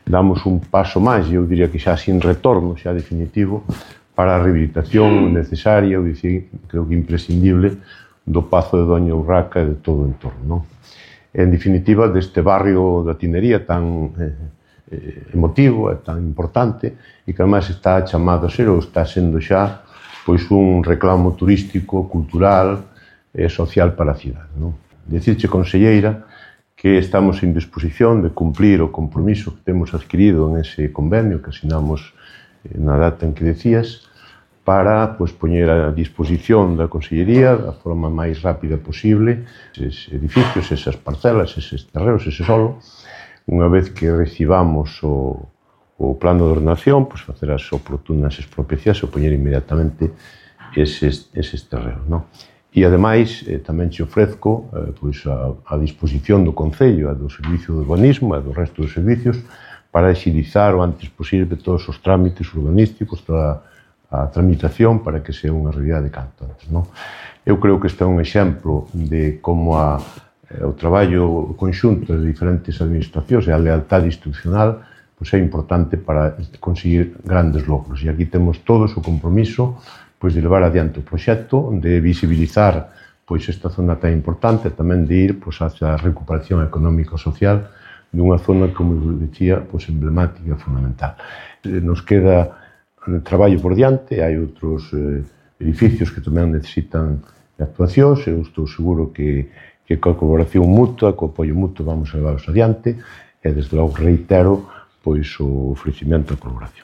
damos un paso máis, eu diría que xa sin retorno, xa definitivo, para a rehabilitación necesaria, ou dicir, creo que imprescindible, do Pazo de Doña Urraca e de todo o entorno. En definitiva, deste barrio da Tinería tan emotivo e tan importante, e que además está chamado a ser, ou está sendo xa, pois un reclamo turístico, cultural e social para a cidade. Dicirche, conselleira, que estamos en disposición de cumplir o compromiso que temos adquirido en ese convenio que asinamos na data en que decías, para poñer a disposición da Consellería da forma máis rápida posible eses edificios, esas parcelas, eses terreos, ese solo, unha vez que recibamos o plano de ordenación, facer as oportunas expropiacións e poñer inmediatamente eses terreos. E, ademais, tamén te ofrezco a disposición do Concello e do Servicio de Urbanismo e do resto dos servicios para agilizar o antes posible todos os trámites urbanísticos, toda a tramitación para que sea unha realidade canto antes. Eu creo que este é un exemplo de como o traballo conxunto de diferentes administracións e a lealtade institucional é importante para conseguir grandes logros. E aquí temos todos o compromiso de levar adiante o proxecto, de visibilizar esta zona tan importante, tamén de ir hacia a recuperación económico-social dunha zona, como dicía, emblemática e fundamental. Nos queda traballo por diante, hai outros edificios que tamén necesitan de actuacións, eu estou seguro que coa colaboración mutua, co apoio mutuo, vamos a levarlos adiante, e desde logo reitero o ofrecimento da colaboración.